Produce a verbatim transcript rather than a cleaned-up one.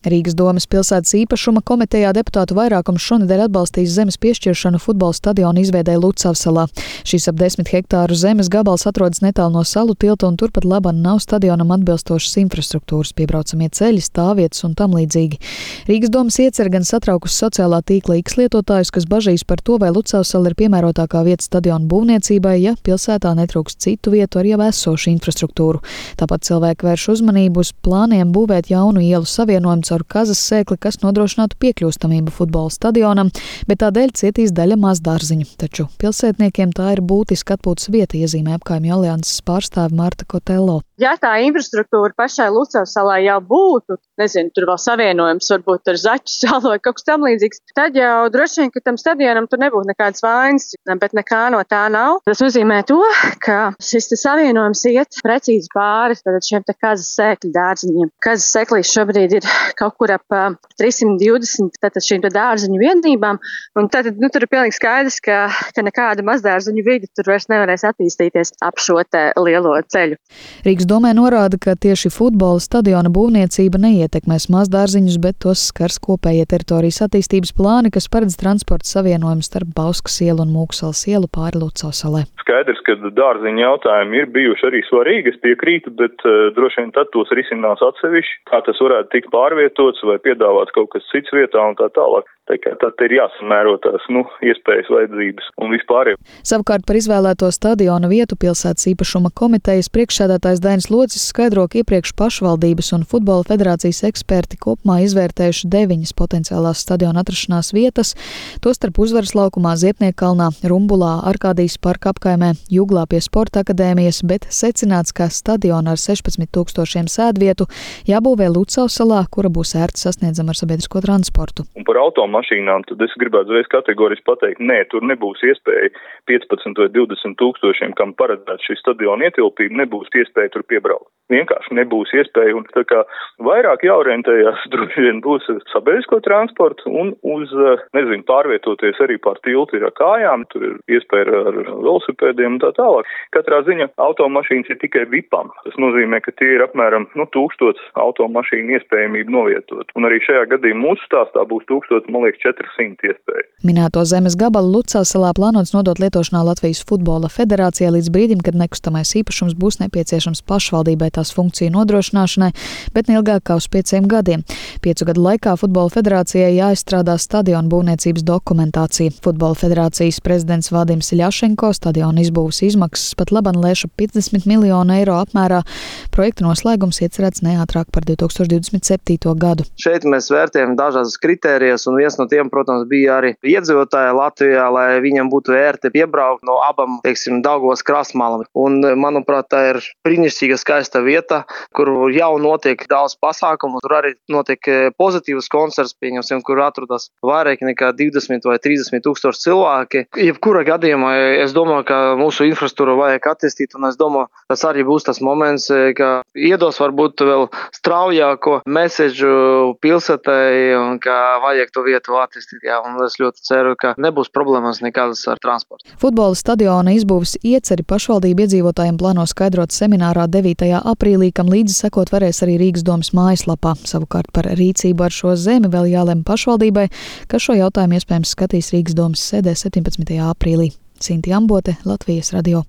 Rīgas domes pilsētas īpašuma komitejā deputātu vairākums šonedēļ atbalstīs zemes piešķiršanu futbola stadiona izveidei Lucavsalā. Šis ap desmit hektāru zemes gabals atrodas netālu no salu tilta un turpat laban nav stadionam atbilstošas infrastruktūras, piebraucamie ceļi, stāvvietas un tam līdzīgi. Rīgas domes iecer gan satraukus sociālā tīkla X lietotājus, kas bažīs par to, vai Lucavsala ir piemērotākā vieta stadiona būvniecībai, ja pilsētā netrūks citu vietu ar jau esošu infrastruktūru. Tāpat cilvēki vērš uzmanību uz plāniem būvēt jaunu ielu savienojumu caur Kazas sēkli, kas nodrošinātu piekļūstamību futbola stadionam, bet tādēļ cietīs daļa mazdārziņu. Taču pilsētniekiem tā ir būtiska atpūtas vieta, iezīmē Apkaimju alianses pārstāve Marta Kotello. Ja tā infrastruktūra pašai Lucavsalai jau būtu, nezinu, tur vēl savienojums varbūt ar Zaķu salu vai kaut kas tam līdzīgs, tad jau droši vien, ka tam stadionam tur nebūtu nekādas vainas, bet nekā no tā nav. Tas nozīmē to, ka šis savienojums iet precīzi pāri tad šiem te Kazas sēkļu dārziņiem. Kazas sēklīs šobrīd ir kaut kur ap trīssimt divdesmit tātad šīm te dārziņu vienībām, un tad, nu, tur ir pilnīgi skaidrs, ka, ka nekāda mazdārziņu vidi tur vairs nevarēs attīstīties ap šo te lielo ceļu. Rīgas domē norāda, ka tieši futbola stadiona būvniecība neietekmēs mazdārziņus, bet tos skars kopējie teritorijas attīstības plāni, kas paredz transporta savienojumu starp Bauskas ielu un Mūksalas ielu pāri Lucavsalai. Skaidrs, ka dārziņu jautājumi ir bijuši arī svarīgi, es piekrītu, bet uh, droši vien tad tos risinās atsevišķi, kā tas varētu tikt pārvietots vai piedāvāts kaut kas cits vietā un tā tālāk. Tā kā tad ir jāsamēro tās, nu, iespējas, vajadzības un vispār. Savukārt par izvēlēto stadiona vietu pilsētas īpašuma komitejas priekšsēdētājs Dainis Locis skaidro, ka iepriekš pašvaldības un futbola federācijas eksperti kopumā izvērtējuši deviņas potenciālās stadiona atrašanās vietas, tostarp Uzvaras laukumā, Ziepniekkalnā, Rumbulā, Arkādijas parka apkaimē, Juglā pie Sporta akadēmijas, bet secināts, ka stadiona ar sešpadsmit tūkstošiem sēdvietu jābūvē Lucavsalā, kura būs ērti sasniedzama ar sabiedrisko transportu. Un par automašīnām, tad es gribētu uzreiz kategoriski pateikt, nē, tur nebūs iespēja piecpadsmit vai divdesmit tūkstošiem, kam paredzēts šī stadiona ietilpība, nebūs iespēja tur piebraukt. Vienkārši nebūs iespēja, un tā kā vairāk jāorientējās, droši vien būs sabiedrisko transportu un uz, nezinu, pārvietoties arī pār tiltu ir ar kājām, tur ir iespēja ar velosipēdiem un tā tālāk. Katrā ziņa automašīnas ir tikai vipam. Tas nozīmē, ka tie ir apmēram, nu, tūkstots automašīnu iespējamību novietot. Un arī šajā gadījumā mūsu stāstā būs tūkstots, man liekas, četri simti iespēja. Minēto zemes gabalu Lucavsalā plānots nodot lietošanā Latvijas futbola federācijai līdz brīdim, kad nekustamais īpašums būs nepieciešams pašvaldībai tās funkciju nodrošināšanai, bet neilgāk kā uz pieciem gadiem. Piecu gadu laikā futbola federācijai jāizstrādā stadiona būvniecības dokumentācija. Futbola federācijas prezidents Vadims Ļašenko stadiona izbūves izmaksas pat laban lēša piecdesmit miljonu eiro apmērā. Projekta noslēgums iecerēts neātrāk par divi tūkstoši divdesmit septīto gadu. Šeit mēs vērtējam dažādas kritērijas, un viens no tiem, protams, bija arī iedzīvotāji Latvijā, lai viņam būtu ērti piebraukt no abām, teiksim, Daugavas krastmalām. Un, manuprāt, tā ir brīnišķīga skaista vieta, kur jau notiek daudz pasākumu, tur arī notiek pozitīvs koncerts, pieņemsim, kur atrodas vairāk nekā divdesmit vai trīsdesmit tūkstoši cilvēki. Jebkura gadījumā es domāju, ka mūsu infrastruktūru vajag attīstīt, un es domāju, tas arī būs tas moments, ka iedos varbūt vēl straujāko mesežu pilsētai, un ka vajag to vietu attīstīt. Jā, un es ļoti ceru, ka nebūs problēmas nekādas ar transportu. Futbola stadiona izbūves ieceri pašvaldību iedzīvotājiem plāno skaidrot seminārā devītajā aprīlī, kam līdzi sekot varēs arī Rīgas domes mājaslapā. Savukārt par rīcību ar šo zemi vēl jālem pašvaldībai, kas šo jautājumu iespējams skatīs Rīgas domes sēdē septiņpadsmitajā aprīlī. Cinti Ambote, Latvijas radio.